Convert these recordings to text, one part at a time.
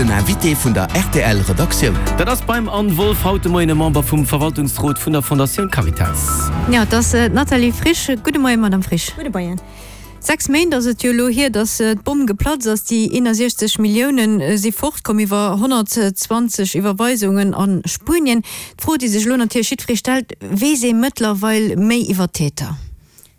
Den Invité vun der rtl Redaktioun. Dat ass beim Anne Wolff haut de Moien e Member vum Verwaltungsrot vun der Fondatioun Caritas. Jo, et ass d'Nathalie Frisch. Gudde Moien, Madame Frisch. Gudde Moien. 6 Méint ass et jo elo hier, datt d'Bomm geplatzt ass. Déi 61 Millioune si fortkomm iwwer 120 Iwwerweisungen a Spuenien. D'Fro, déi sech elo natierlech jiddweree stellt, Weess ee mëttlerweil méi iwwer d'Täter?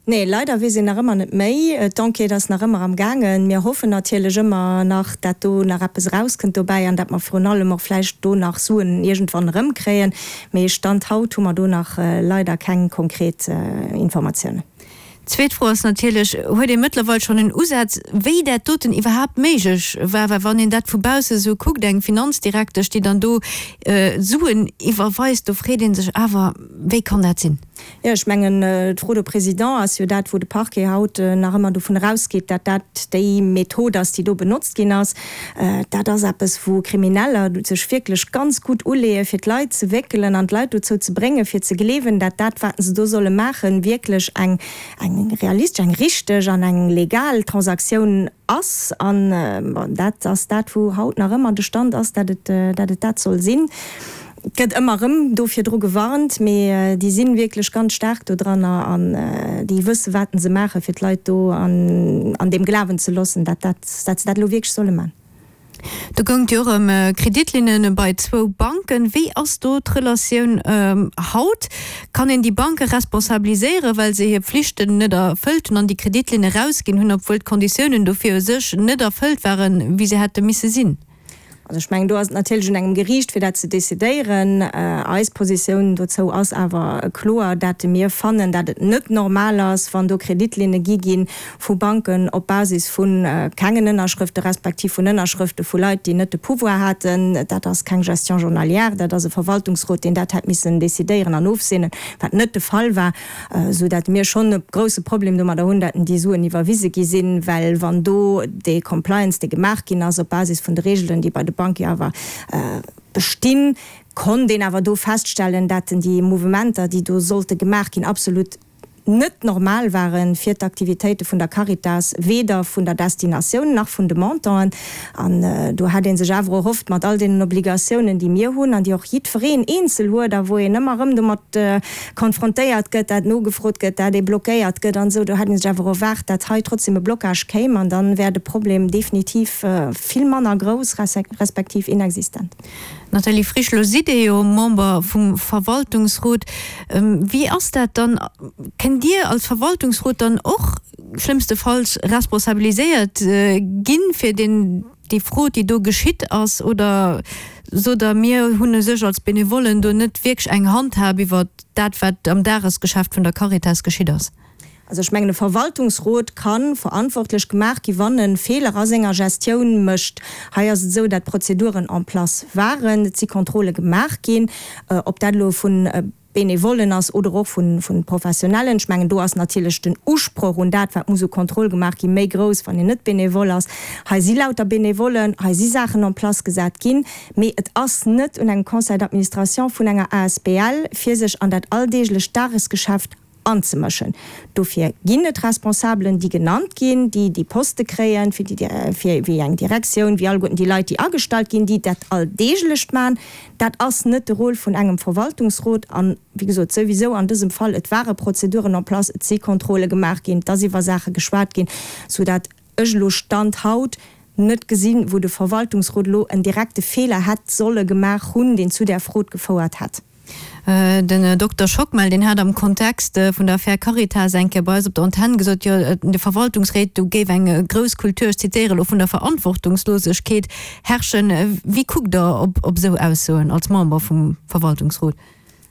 Nee, leider weess een nach ëmmer net méi. D'Enquête ass nach ëmmer am gaangen. Mir hoffen natierlech ëmmer nach, dat do nach eppes erauskënnt dobäi an dat mer virun allem och vläicht do nach Suen iergendwann erëmkréien. Mee Stand haut hu mer do nach leider keng konkret Informatiounen. Zweet Fro ass natierlech, Huet ee mëttlerweil schonn en Usaz, wéi dat doten iwwerhaapt méiglech war? Well wann een dat vu bausse sou kuckt, eng Finanzdirektesch, déi dann do Suen iwwerweist, do freet ee sech awer, Wéi kann dat sinn? Jo, ech mengen, d'Fraude au président ass jo dat, wou de Parquet haut nach ëmmer dovun erausgeet, dat dat déi Method ass, déi do benotzt ginn ass. Dat ass eppes, wou Krimineller sech wierklech ganz gutt uleeën, fir d'Leit ze wéckelen an d'Leit dozou ze bréngen, fir ze gleewen, dat dat, wat se do solle maachen, wierklech eng realistesch, eng richteg an eng legal Transaktioun ass. An, bon, dat ass dat, wou haut nach ëmmer de Stand ass, dat et dat soll sinn. Et gëtt ëmmer erëm do virdru gewarnt, mee déi si wierklech ganz staark do dranner an déi wësse wat se maachen, fir d'Leit do an deem Glawen ze loossen, dat dat, dat se dat elo wierklech solle man. Do goung et jo och ëm Kreditlinne bei zwou Banken. Wéi ass do d'Relatioun haut? Kann een déi Banke responsabiliséieren, well se hir Pflichten net erfëllt hunn an déi Kreditlinne erausginn hunn, obwuel d'Konditiounen dofir u sech net erfëllt waren, wéi se hätte misse sinn? Also ech mengen, do ass et natierlech un engem Geriicht, fir dat ze decidéieren. Eis Positioun dozou ass awer kloer, dat mir fannen, dat et net normal ass, wann do Kreditlinne gi gi vu Banken op Basis vu kengen Ënnerschrëfte respektiv vun Ënnerschrëfte vu Leit, déi net de Pouvoir haten. Dat ass keng Gestion journalière, dat ass e Verwaltungsrot, deen dat hätt missen decidéieren an ofseenen, wat net de Fall war. Esou dat mir schonn e grouse Problem domadder hunn, dat déi Suen iwwerwise gi sinn, well wann do dee Compliance, dee gemaach ginn ass op Basis vun de Regelen, déi bei de Banke jo awer bestinn, konnt een awer do feststellen, dat déi Mouvementer, déi do sollte gemaach ginn, absolut net normal ware fir d'Aktivitéite vun der Caritas, weder vun der Destinatioun nach vun de Montanten. An do hätt ee sech awer erhofft, mat all deenen Obligatiounen, déi mir hunn an déi och jiddwereen eenzel huet a wou een ëmmer erëm domat konfrontéiert gëtt, dat nogefrot gëtt, dat ee blockéiert gëtt an esou, do hätt ee sech awer erwaart, dat hei trotzdem e Blocage kéim an dann wär de Problem definitiv vill manner grouss respektiv inexistent. Nathalie Frisch, Lo sidd Dir jo Member vum Verwaltungsrot. Wéi ass dat dann? Kënnt Dir als Verwaltungsrot dann och schlëmmstefalls responsabiliséiert ginn fir deen, déi Frod, déi do geschitt ass? Oder sot Der, mir hunn u sech als Benevollen do net wierklech eng Handhab iwwer dat, wat am Dagesgeschäft vun der Caritas geschitt ass? Also ech mengen, e Verwaltungsrot ka verantwortlech gemaach gi wann e Feeler a senger Gestioun mécht. Hei ass et esou, dat Prozeduren en place waren, et si Contrôle gemaach ginn, ob dat elo vu Benevollen ass oder och vu Professionellen. Ech mengen, do ass natierlech den Usproch un dat, wat muss u Contrôle gemaach ginn, méi grouss, wann een net Benevole ass. Hei si lauter Benevollen, hei si Saachen en place gesat ginn, mee et ass net un engem Conseil d'administration vun enger asbl, fir sech an dat alldeeglecht Dagesgeschäft anzemëschen. Dofir ginn et Responsabelen, déi genannt ginn, déi déi Poste kréien, fir déi, fir wéi eng Direktioun, wéi alleguerten déi Leit, déi agestallt ginn, déi dat Alldeeglecht maachen. Dat ass net de Rôle vun engem Verwaltungsrot. An, wéi gesot, souwisou an dësem Fall, et ware Prozeduren en place, et si Contrôle gemaach ginn, et ass iwwer Saache geschwat ginn, soudatt ech elo Stand haut net gesinn, wou de Verwaltungsrot elo en direkte Feeler hätt solle gemaach hunn, deen zu där Fraude gefouert hätt. Den Dokter Schockmel, deen hat am Kontext vun der Affär Caritas eng Kéier bei eis op der Antenn gesot, jo, an de Verwaltungsréit, do géif eng grouss Kultur, ech zitéiere elo, vun der Verantwortungslosegkeet herrschen. Wéi kuckt Der op esou Aussoen als Member vum Verwaltungsrot?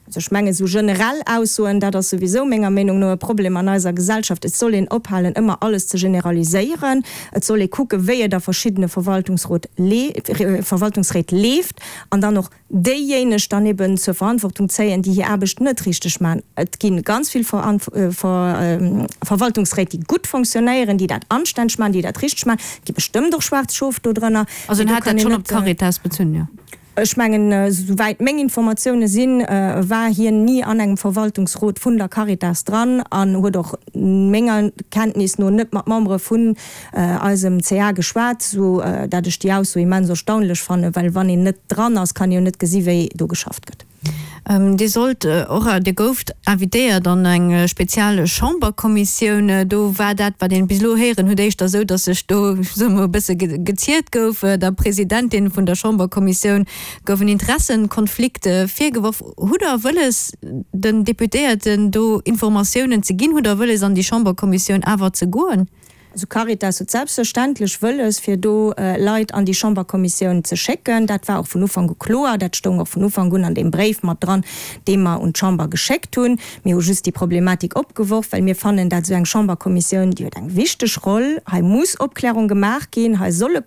Also ech mengen, esou generell Aussoen, dat ass souwisou menger Meenung no e Problem an eiser Gesellschaft. Et soll een ophalen, ëmmer alles ze generaliséieren. Et soll ee kucken, wéi et a verschiddene Verwaltungsréit leeft an dann och déijéineg dann eben zur Verantwortung zéien, déi hir Aarbecht net richteg maachen. Et gi ganz vill Verwaltungsréit, déi gutt fonctionnéieren, déi dat anstänneg maachen, déi dat richteg maachen. Et gi bestëmmt och schwaarz Schof do drënner. Also en hat dat schonn op d'Caritas bezunn, jo? Ech mengen, esouwäit meng Informatioune sinn, war hien ni an engem Verwaltungsrot vun der Caritas dran an huet och menger Kenntnis no net mat Membere vun eisem CA geschwat, sou dat ech déi Ausso immens erstaunlech fannen, well wann een net dran ass, kann ee jo net gesi wéi do geschafft gëtt. Dir sollt och, Dir gouft invitéiert an eng spezial Chamberkommissioun. Do war dat, wat een bis elo héieren huet, éischter esou, datt sech do, soe mer, e bësse geziert gouf. Der Presidentin vun der Chamberkommissioun gouf en Interessenkonflikt virgeworf. Hutt Der wëlles, den Deputéierten do Informatiounen ze ginn? Hutt Der wëlles, an déi Chamberkommissioun awer ze goen? Also Caritas huet selbstverständlech wëlles, fir do Leit an déi Chamberkommissioun ze schécken. Dat war och vun Ufank u kloer. Dat stoung och vun Ufank un an deem Bréif mat dran, dee mer un d'Chamber geschéckt hunn. Mir hu just déi Problematik opgeworf, well mir fannen, dat esou eng Chamberkommissioun, déi huet eng wichteg Roll. Hei muss Opklärung gemaach ginn, hei solle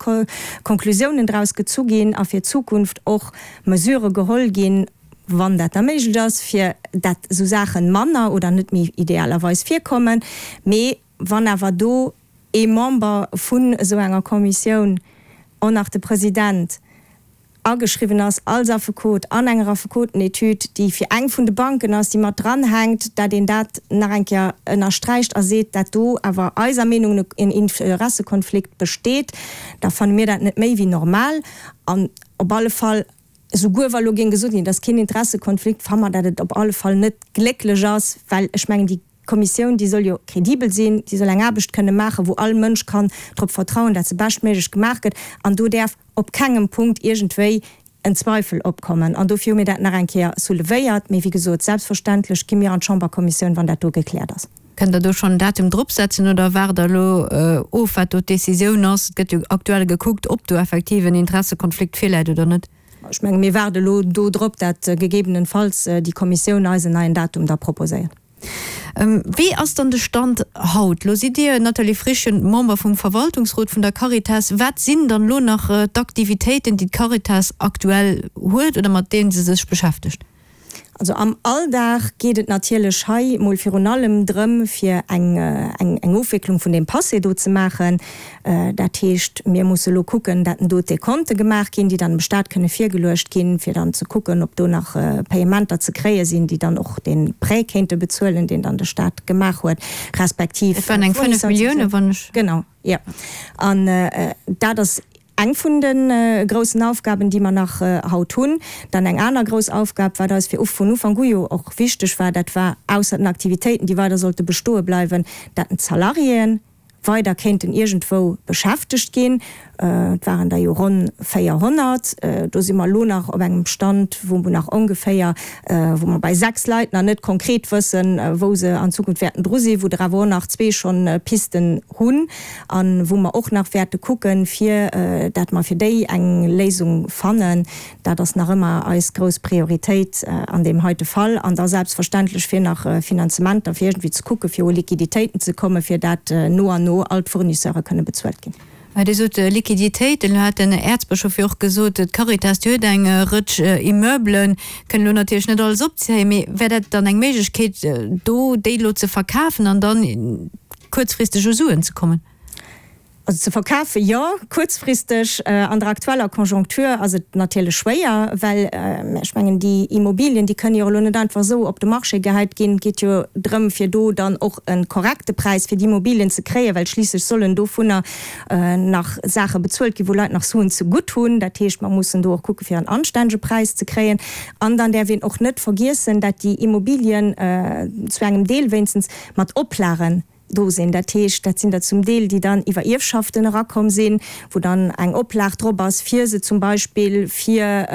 Konklusiounen draus gezu ginn a fir d'Zukunft och Mesurë geholl ginn, wann dat da méiglech ass, fir dat esou Saache manner oder net méi idealerweis virkommen. Mee Wann awer do ee Member vun esou enger Kommissioun, och nach de President, ageschriwwen ass als Affekot an enger Affekotenetüd, déi fir eng vun de Banken ass, déi mat dranhänkt, dat een dat nach eng Kéier ënnersträicht a seet, dat do awer eiser Meenung no en Interessekonflikt besteet, da fanne mir dat net méi wéi normal. An op alle Fall, esouguer wa lo géing gesot ginn, et ass keen Interessekonflikt, fanne mer, dat et op alle Fall net glécklech ass, well ech mengen, déi D'Kommissioun, déi soll jo kredibel sinn, déi soll eng Aarbecht kënne maachen, wou all Mënsch kann drop vertrauen, dat se beschtméiglech gemaach gëtt. An do däerf op kengem Punkt iergendwéi en Zweifel opkommen. An dofir hu mir dat nach eng Kéier soulevéiert. Mee wéi gesot, selbstverständlech gi mir an d'Chamberkommissioun, wann dat do gekläert ass. Kënnt Der do schonn en Datum dropsetzen oder waart Der elo of, wat do d'Decisioun ass? Et gëtt jo aktuell gekuckt, ob do effektiv en Interessekonflikt virläit oder net. Ech menge mir waarde elo do drop, dat gegebenenfalls déi Kommissioun eis en neien Datum da proposéiert. Wéi ass dann de Stand haut? Lo sidd Dir, Nathalie Frichen, Member vum Verwaltungsrot vun der Caritas. Wat sinn dann elo nach d'Aktivitéiten, déi d'Caritas aktuell huet oder mat deenen se sech beschäftegt? Also am Alldag geet et natierlech hei mol virun allem drëm, fir eng eng Ofwécklung vun deem Passé do ze maachen. Dat heescht, mir musse elo kucken, dat do d'Dekonte gemaach ginn, déi dann dem Stat kënne virgeluecht ginn, fir dann ze kucken, ob do nach Payementer ze kréie sinn, déi dann och dee Prêt kéinte bezuelen, deen dann de Stat gemaach huet, respektiv. Et waren eng 5 Milliounen, wann ech. Genau, jo. An dat ass eng vun de groussen Aufgaben, déi mer nach haut hunn. Dann eng aner grouss Aufgab, wat eis fir vun Ufank u jo och wichteg war, dat war, ausser den Aktivitéiten, déi weider sollte bestoe bleiwen, dat den d'Salariéen weider kéinten iergendwou beschäftegt ginn. Et waren der jo ronn 400. Do si mer elo nach op engem Stand, wou mer nach ongeféier, wou mer bei 6 Leit nach net konkret wëssen, wou se an Zukunft wäerten dru sinn, wou der awer och nach zwee schonn Pisten hunn a wou mer och nach wäerte kucken, fir dat mer fir déi eng Léisung fannen. Dat ass nach ëmmer eis grouss Prioritéit an deem heite Fall. An da selbstverständlech fir nach Finanzementer, fir iergendwéi ze kucken, fir u Liquiditéiten ze kommen, fir dat no an no all d'Fournisseure kënne bezuelt ginn. Dir sot Liquiditéiten. Elo hat den Äerzbëschof jo och gesot, d'Caritas, déi huet eng Rëtsch Immeublen, kënn elo natierlech net alles opzéien, mee wär dat dann eng Méiglechkeet, do déi elo ze verkafen an dann kuerzfristeg u Suen ze kommen? Also ze verkafen, jo, kuerzfristeg. An der aktueller Conjoncture ass et natierlech schwéier, well ech mengen, déi Immobilien, déi kënnen jo elo net einfach esou op de Marché gehäit ginn. Et geet jo drëm, fir do dann och e korrekte Präis fir déi Immobilien ze kréien, well schliisslech sollen dovunner nach Saache bezuelt ginn, wou Leit nach Suen zegutt hunn. Dat heescht, mer mussen do och kucke fir en anstännege Präis ze kréien. An dann däerf een och net vergiessen, dat déi Immobilien zu engem Deel wéinstens mat Oplagen do sinn. Dat heescht, dat sinn der zum Deel, déi dann iwwer Ierfschaften erakomm sinn, wou dann eng Oplag drop ass, fir se zum Beispill fir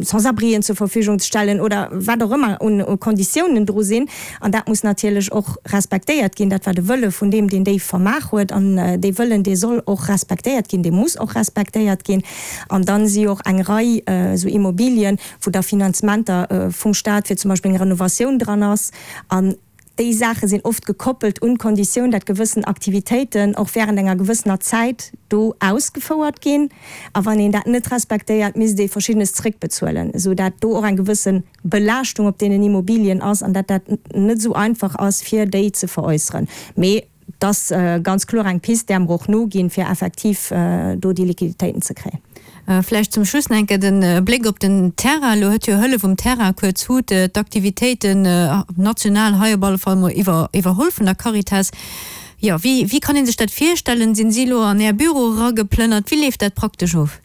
Sans-abrien zur Verfügung ze stellen oder wat och ëmmer un Konditiounen dru sinn. An dat muss natierlech och respektéiert ginn. Dat war de Wëlle vun deem, deen déi vermaach huet. An dee Wëllen, dee soll och respektéiert ginn, dee muss och respektéiert ginn. An dann si och eng Rei esou Immobilien, wou da Finanzementer vum Stat fir zum Beispill eng Renovatioun dran ass. An Déi Saache sinn oft gekoppelt un d'Konditioun, dat gewëssen Aktivitéiten och während enger gewëssener Zäit do ausgefouert ginn. A wann een dat net respektéiert, misst ee Verschiddenes zréckbezuelen, esou dat do och eng gewësse Belaaschtung op deenen Immobilien ass an dat dat net esou einfach ass, fir déi ze veräusseren. Mee. Et ass ganz kloer eng Pist, där mer och noginn, fir effektiv do déi Liquiditéiten ze kréien. Vläicht zum Schluss nach eng Kéier de Bléck op den Terrain. Elo huet jo Hëllef um Terrain, kuerz HUT, d'Aktivitéiten national hei op alle Fall mol iwwerholl vun der Caritas. Jo, wéi, wéi kann ee sech dat virstellen? Sinn si elo an Är Büro erageplënnert? Wéi leeft dat praktesch of?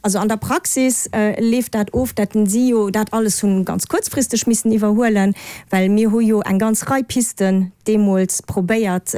Also an der Praxis leeft dat of, dat si jo dat alles hunn ganz kuerzfristeg missen iwwerhuelen, well mir hu jo eng ganz Rei Pisten deemools probéiert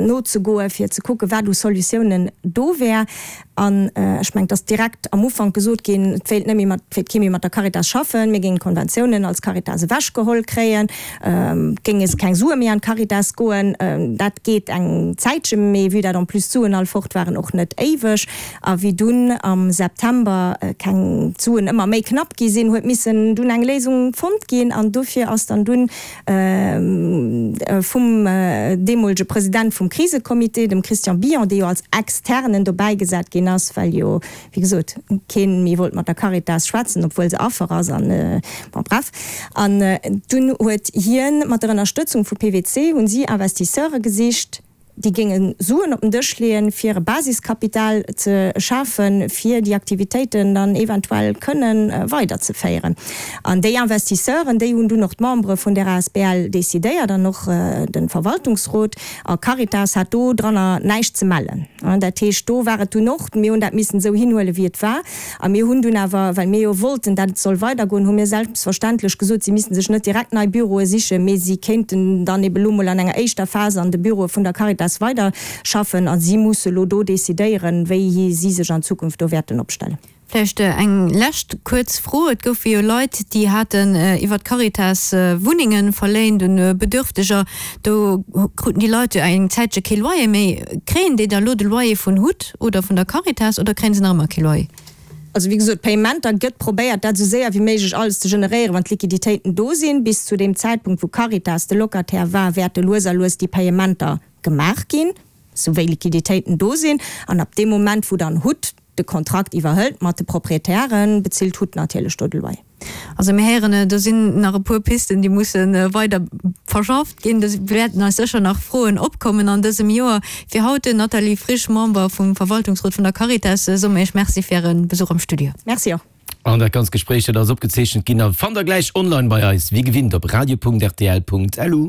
nozegoen, fir ze kucken, wat u Solutiounen do wär. An ech mengen, et ass direkt am Ufank gesot ginn, et wéilt net méi mat, et wéilt kee méi mat der Caritas schaffen, mir géingen d'Konventiounen als Caritas ewechgeholl kréien, et géinge keng Sue méi an d'Caritas goen. Dat geet eng Zäitche, mee vue dat en plus d'Suen all fort waren, och net éiweg. A wéi dunn am September keng d'Suen ëmmer méi knapp gi sinn, huet missen dunn eng Léisung fonnt ginn. An dofir ass dann dunn vum deemolege President vum Krisecomité, dem Christian Billon, dee jo als Externen dobäi gesat ginn ass, well jo, wéi gesot, kee méi wollt mat der Caritas schwätzen, obwuel se Affer ass an, bon, bref. An dunn huet hien mat der Ënnerstëtzung vu PwC, hunn si Investisseure gesicht, déi géinge Suen op den Dësch leeën, fir e Basiskapital ze schafen, fir déi Aktivitéiten dann eventuell kënnen weiderzeféieren. An déi Investisseuren, déi hunn dunn och d'Membere vun där asbl decidéiert an och de Verwaltungsrot. A Caritas hat do dranner näischt ze mellen. Dat heescht, do war et dunn och, mir hunn dat missen esou hinhuelen, wéi et war. A mir hunn dunn awer, well mir jo wollten, dat et soll weidergoen, hu mir selbstverständlech gesot, si misste sech net direkt nei Büroe sichen, mee si kéinten dann ebe lo mol an enger éischter Phas an de Büroe vun der Caritas weiderschaffen. A si musse lo do decidéieren, wéi si sech an Zukunft do wäerten opstellen. Vläicht eng lescht kuerz Fro. Et goufe jo Leit, déi haten iwwer d'Caritas Wunnenge verléint un Bedürfteger. Do kruten déi Leit jo eng Zäitche kee Loyer méi. Kréien déi da lo de Loyer vun hut oder vun der Caritas oder kréien se nach ëmmer kee Loyer? Also wéi gesot, Payementer gëtt probéiert dat esou séier wéi méiglech alles ze generéieren, wann d'Liquiditéiten do sinn. Bis zu deem Zäitpunkt wou Caritas de Locataire war, wäerte lues a lues déi Payementer gemaach ginn, esou wéi Liquiditéiten do sinn. An ab deem Moment wou dann hut de Kontrakt iwwerhëlt mat de Proprietären, bezilt hut natierlech do de Loyer. Also mir héieren, do sinn nach e puer Pisten, déi musse weider verschafft ginn. Do wäerten eis sécher nach Froen opkommen an dësem Joer. Fir haut, Nathalie Frisch, Member vum Verwaltungsrot vun der Caritas, soe mir Iech Merci fir Äre Besuch am Studio. Merci och. An dat ganzt Gespréich, dat ass opgezeechent ginn a fannt der gläich online bei eis, wéi gewinnt op radio.rtl.lu.